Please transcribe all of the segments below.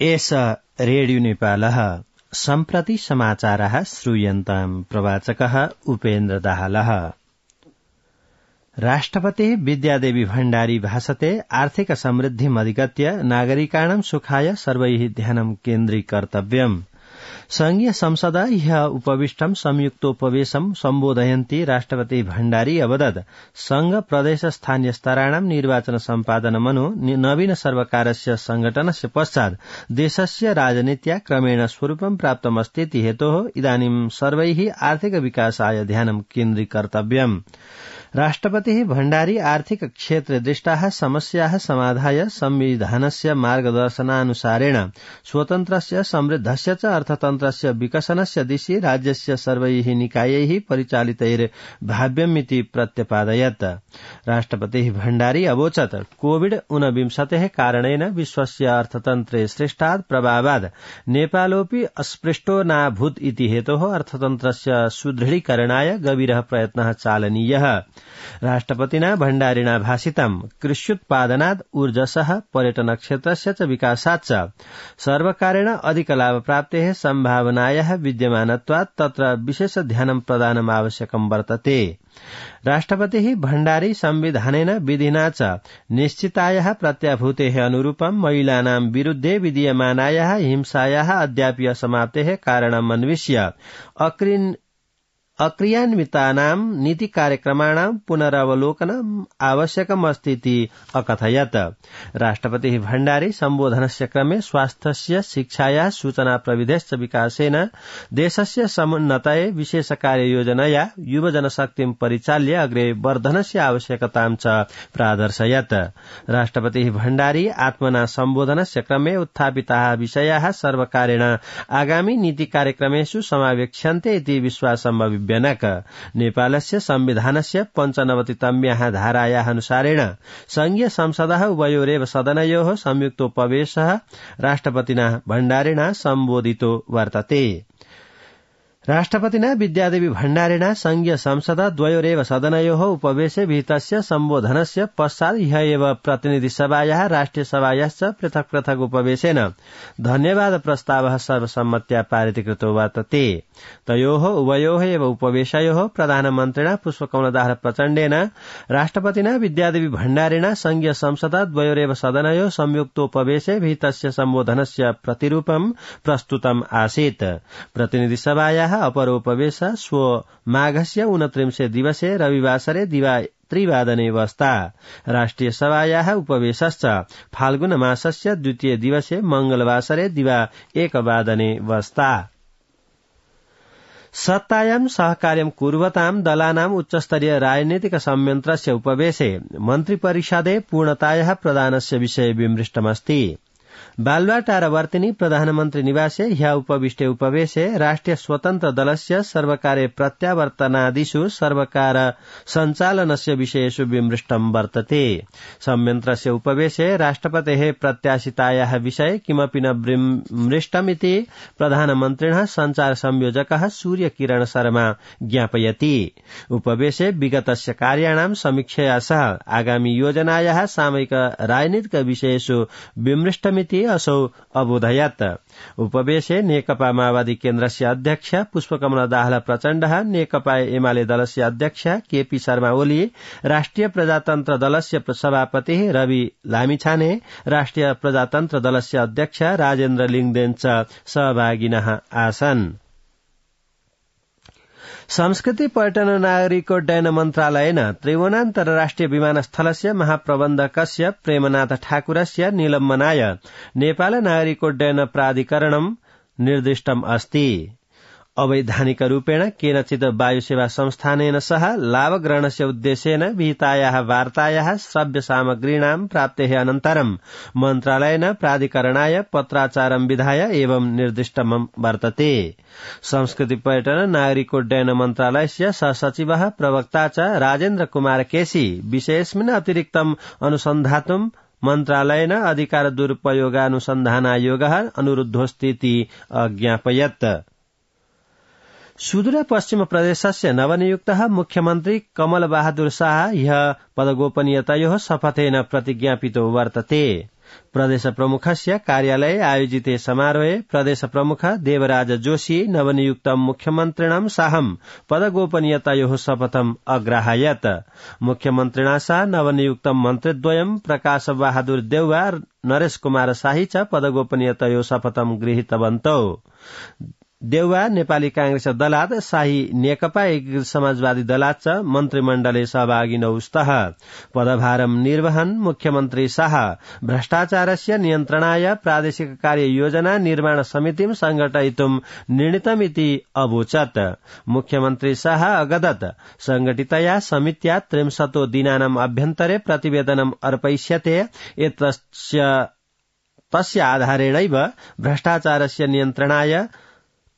एष रेडियो नेपालः सम्प्रति समाचारः श्रूयन्ताम् प्रवाचकः उपेन्द्र दाहालः। राष्ट्रपतिः विद्यादेवी भण्डारी भाषते आर्थिक समृद्धिमधिगत्य नागरिकाणां सुखाय सर्वैः ध्यानं केन्द्रीकर्तव्यम्। संघीय संसद ह्यः उपविष्टं संयुक्तोपवेशं सम्बोधयन्ती राष्ट्रपति भण्डारी अवदत् संघ प्रदेश स्थानीय स्तराणां निर्वाचन सम्पादनमनु नवीन सर्वकारस्य संघटनस्य पश्चात् देशस्य राजनीत्या क्रमेण स्वरूपं प्राप्तमस्तीति हेतोः इदानीं सर्वैः आर्थिक विकासाय ध्यानं केन्द्रीकर्तव्यम्। राष्ट्रपतिः भण्डारी आर्थिक क्षेत्रे दृष्टाः समस्याः समाधाय संविधानस्य मार्गदर्शनानुसारेण स्वतन्त्रस्य समृद्धस्य च अर्थतन्त्रस्य विकसनस्य दिशि राज्यस्य सर्वैः निकायैः परिचालितैर्भाव्यमिति प्रत्यपादयत्। राष्ट्रपतिः भण्डारी अवोचत् कोविड-19 कारणेन विश्वस्य अर्थतन्त्रे सृष्टात् प्रभावात् नेपालोऽपि अस्पृष्टो नाभूत् इति हेतोः अर्थतन्त्रस्य सुदृढीकरणाय गभीरः प्रयत्नः चालनीयः। राष्ट्रपतिना भण्डारिणा भाषितं कृष्युत्पादनात् ऊर्जसः पर्यटन क्षेत्रस्य च विकासात् च सर्वकारेण अधिक लाभप्राप्तेः सम्भावनायाः विद्यमानत्वात् तत्र विशेष ध्यानं प्रदानम् आवश्यकं वर्तते। राष्ट्रपतिः भण्डारी संविधानेन विधिना च निश्चितायाः प्रत्याभूतेः अनुरूपं महिलानां विरुद्धे विधीयमानायाः हिंसायाः अद्यापि असमाप्तेः कारणम् अन्विष्य अक्रियान्वितानां नीति कार्यक्रमाणां पुनरावलोकनम् आवश्यकमस्तीति अकथयत्। राष्ट्रपतिः भण्डारी सम्बोधनस्य क्रमे स्वास्थ्यस्य शिक्षाया सूचना प्रविधेश्च विकासेन देशस्य समुन्नतये विशेष कार्ययोजनया युवजनशक्तिं परिचाल्य अग्रे वर्धनस्य आवश्यकतां च प्रादर्शयत्। राष्ट्रपतिः भण्डारी आत्मना सम्बोधनस्य क्रमे उत्थापिताः विषयाः सर्वकारेण आगामी नीति कार्यक्रमेषु समावेक्ष्यन्ते इति विश्वासम् अभिव्यनक। नेपालस्य संविधानस्य 95तम्याः धारायाः अनुसारेण संघीय संसदः उभयोरेव सदनयोः संयुक्तोपवेशः राष्ट्रपतिना भण्डारिणा सम्बोधितो वर्तते। राष्ट्रपतिना विद्यादेवी भण्डारिणा संघीय संसद द्वयोरेव सदनयोः उपवेशे विहितस्य सम्बोधनस्य पश्चात् ह्यः एव प्रतिनिधिसभायाः राष्ट्रिय सभायाश्च पृथक् पृथक् उपवेशेन धन्यवाद प्रस्तावः सर्वसम्मत्या पारितीकृतो वर्तते। तयोः उभयोः एव उपवेशयोः प्रधानमन्त्रिणा पुष्पकमलदास प्रचण्डेन राष्ट्रपतिना विद्यादेवी भण्डारिणा संघीय संसद द्वयोरेव सदनयोः संयुक्तोपवेशे विहितस्य सम्बोधनस्य प्रतिरूपं प्रस्तुतम् आसीत्। प्रतिनिधिसभायाः अपरोपवेश श्व माघस्य 29 दिवसे रविवासरे दिवा 3 वस्ता। राष्ट्रिय सभायाः उपवेशश्च फाल्गुन मासस्य 2 दिवसे मंगलवासरे दिवा 1 वस्ता। सत्तायां सहकार्यं कुर्वतां दलानाम् उच्चस्तरीय राजनीतिक संयन्त्रस्य उपवेशे मन्त्रिपरिषदे पूर्णतायाः प्रदानस्य विषये विमृष्टमस्ति। बालुवाटारवर्तिनी प्रधानमन्त्री निवासे ह्यः उपविष्टे उपवेशे राष्ट्रिय स्वतन्त्र दलस्य सर्वकारे प्रत्यावर्तनादिषु सर्वकार सञ्चालनस्य विषयेषु विमृष्टं वर्तते। संयन्त्रस्य उपवेशे राष्ट्रपतेः प्रत्याशितायाः विषये किमपि न विमृष्टमिति प्रधानमन्त्रिणः सञ्चार संयोजकः सूर्यकिरण शर्मा ज्ञापयति। उपवेशे विगतस्य कार्याणां समीक्षया सह आगामी योजनायाः सामयिक राजनीतिक विषयेषु विमृष्टमिति असौ अबोधयत्। उपवेशे नेकपा माओवादी केन्द्रस्य अध्यक्ष पुष्पकमल दाहाल प्रचण्डः, नेकपा एमाले दलस्य अध्यक्ष केपी शर्मा ओली, राष्ट्रिय प्रजातन्त्र दलस्य सभापति रवि लामिछाने, राष्ट्रिय प्रजातन्त्र दलस्य अध्यक्ष राजेन्द्र लिङदेन च सहभागिनः आसन्। संस्कृति पर्यटन नागरिकोड्डयन मन्त्रालयेन त्रिभुवन अन्तर्राष्ट्रिय विमानस्थलस्य महाप्रबन्धकस्य प्रेमनाथ ठाकुरस्य निलम्बनाय नेपाल नागरिकोड्डयन प्राधिकरणं निर्दिष्टम् अस्ति। अवैधानिक रूपेण केनचित् वायुसेवा संस्थानेन सह लाभग्रहणस्य उद्देश्येन विहितायाः वार्तायाः श्रव्य सामग्रीणां प्राप्तेः अनन्तरं मन्त्रालयेन प्राधिकरणाय पत्राचारं विधाय एवं निर्दिष्टं वर्तते। संस्कृति पर्यटन नागरिकोड्डयन मन्त्रालयस्य सहसचिवः प्रवक्ता च राजेन्द्र कुमार केसी विषयेऽस्मिन् अतिरिक्तम् अनुसन्धातुं मन्त्रालयेन अधिकार दुरुपयोगानुसन्धानायोगः अनुरुद्धोऽस्तीति अज्ञापयत्। सुदूर पश्चिम प्रदेशस्य नवनियुक्तः मुख्यमन्त्री कमल बहादुर शाह ह्यः पदगोपनीयतायोः शपथेन प्रतिज्ञापितो वर्तते। प्रदेश प्रमुखस्य कार्यालये आयोजिते समारोहे प्रदेश प्रमुख देवराज जोशी नवनियुक्तं मुख्यमन्त्रिणं साहं पदगोपनीयतायोः शपथम् अग्राहयत्। मुख्यमन्त्रिणा सह नवनियुक्तं मन्त्रिद्वयं प्रकाश बहादुर देउवा नरेश कुमार शाही च पदगोपनीयतायोः शपथं गृहीतवन्तौ। देउवा नेपाली कांग्रेस दलात, शाही नेकपा एकीकृत समाजवादी दलात च मन्त्रीमण्डले सहभागिनौ स्तः। पदभारं निर्वहन् मुख्यमन्त्री शाह भ्रष्टाचारस्य नियन्त्रणाय प्रादेशिक कार्य योजना निर्माण समितिं संघटयितुं निर्णीतमिति अवोचत्। मुख्यमन्त्री शाह अगदत् संघटितया समित्या 30 दिनानाम् अभ्यन्तरे प्रतिवेदनम् अर्पयिष्यते। तस्य आधारेणैव भ्रष्टाचारस्य नियन्त्रणाय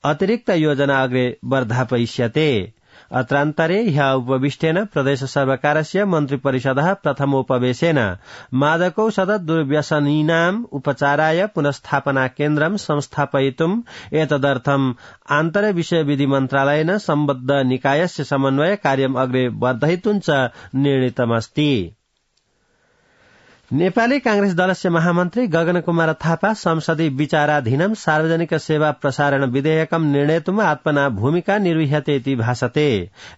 अतिरिक्त योजना अग्रे वर्धापयिष्यते। अत्रान्तरे ह्यः उपविष्टेन प्रदेश सर्वकारस्य मन्त्रिपरिषदः प्रथमोपवेशेन मादकौषध दुर्व्यसनीनाम् उपचाराय पुनस्थापना केन्द्रं संस्थापयितुम् एतदर्थम् आन्तर्विषय विधि मन्त्रालयेन सम्बद्ध निकायस्य समन्वय कार्यम् अग्रे वर्धयितुं च निर्णीतमस्ति। नेपाली कांग्रेस दलस्य महामन्त्री गगन कुमार थापा संसदीय विचाराधीनं सार्वजनिक सेवा प्रसारण विधेयकं निर्णेतुम् आत्मना भूमिका निर्विह्यते इति भासते।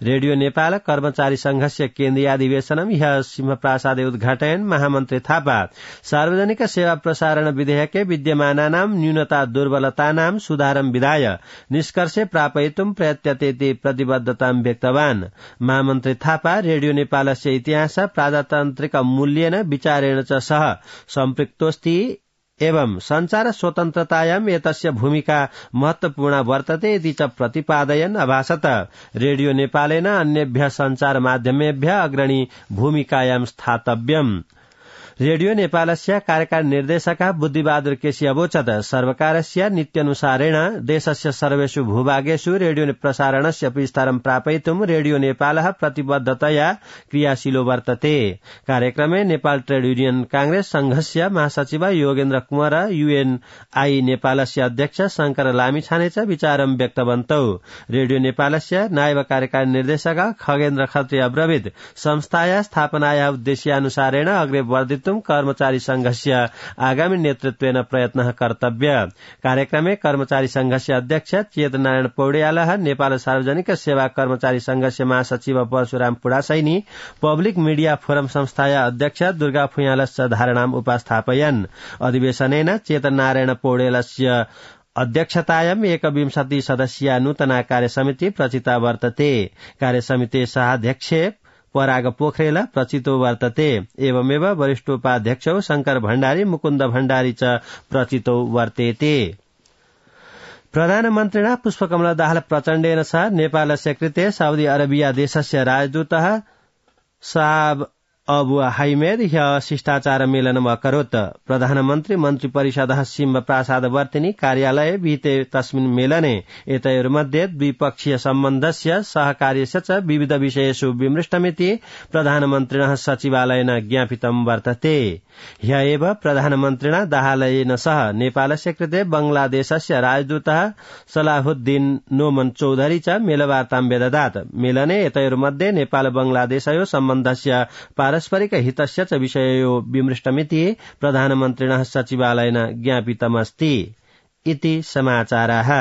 रेडियो नेपाल कर्मचारी संघस्य केन्द्रीय अधिवेशनं ह्यः सिंहप्रासादे उद्घाटयन् महामन्त्री थापा सार्वजनिक सेवा प्रसारण विधेयके विद्यमानानां न्यूनता दुर्बलतानां सुधारं विधाय निष्कर्षे प्रापयितुं प्रयत्यते इति प्रतिबद्धतां व्यक्तवान्। महामन्त्री थापा रेडियो नेपालस्य इतिहास प्रजातान्त्रिक मूल्येन विचारेण च सह सम्पृक्तोऽस्ति एवं संचार स्वतन्त्रतायाम् एतस्य भूमिका महत्वपूर्णा वर्तते इति च प्रतिपादयन् अभासत रेडियो नेपालेन अन्येभ्यः संचार माध्यमेभ्यः अग्रणी भूमिकायां स्थातव्यम्। रेडियो नेपालस्य कार्यकारी निर्देशकः बुद्धिबहादुर केसी अवोचत् सर्वकारस्य नीत्यनुसारेण देशस्य सर्वेषु भूभागेषु रेडियो प्रसारणस्य विस्तारं प्रापयितुं रेडियो नेपालः प्रतिबद्धतया क्रियाशीलो वर्तते। कार्यक्रमे नेपाल ट्रेड युनियन कांग्रेस संघस्य महासचिव योगेन्द्र कुँवर, यूएनआई नेपालस्य अध्यक्ष शंकर लामिछाने च विचारं व्यक्तवन्तौ। रेडियो नेपालस्य नायब कार्यकारी निर्देशक खगेन्द्र खत्री अब्रवीत संस्थाया स्थापनाया उद्देश्यानुसारेण अग्रे वर्धित कर्मचारी संघस्य आगामी नेतृत्वेन प्रयत्नः कर्तव्य। कार्यक्रमे कर्मचारी संघस्य अध्यक्ष चेतनारायण पौड्यालः, नेपाल सार्वजनिक सेवा कर्मचारी संघस्य महासचिव Parashurama Pudasaini, public media forum संस्थाया अध्यक्ष दुर्गा फुयालश्च धारणाम् उपस्थापयन्। अधिवेशनेन चेतनारायण पौड्यालस्य अध्यक्षतायाम् 21 सदस्यीया नूतना कार्यसमिति प्रचिता वर्तते। कार्यसमिते सहाध्यक्ष पराग पोखरेल प्रचितो वर्तते। एवमेव वरिष्ठोपाध्यक्षौ शंकर भण्डारी, मुकुन्द भण्डारी च प्रचितो वर्तेते। प्रधानमन्त्रिणा पुष्पकमल दाहाल प्रचण्डेन सह नेपालस्य कृते साउदी अरेबिया देशस्य राजदूतः साब अबु हाइमेद ह्यः शिष्टाचार मेलनम् अकरोत्। प्रधानमन्त्री मन्त्रिपरिषदः सिंहप्रासादवर्तिनी कार्यालये विहिते तस्मिन् मेलने एतयोर्मध्ये द्विपक्षीय सम्बन्धस्य सहकार्यस्य च विविध विषयेषु विमृष्टमिति प्रधानमन्त्रिणः सचिवालयेन ज्ञापितं वर्तते। ह्यः एव प्रधानमन्त्रिणा दाहालयेन सह नेपालस्य कृते बंगलादेशस्य राजदूतः सलाहुद्दीन नोमन चौधरी च मेलवार्तां व्यददात्। मेलने एतयोर्मध्ये नेपाल बंगलादेशयोः सम्बन्धस्य पारस्परिक हितस्य च विषययो विमृष्टमिति प्रधानमन्त्रिणः सचिवालयेन ज्ञापितमस्ति इति समाचाराः।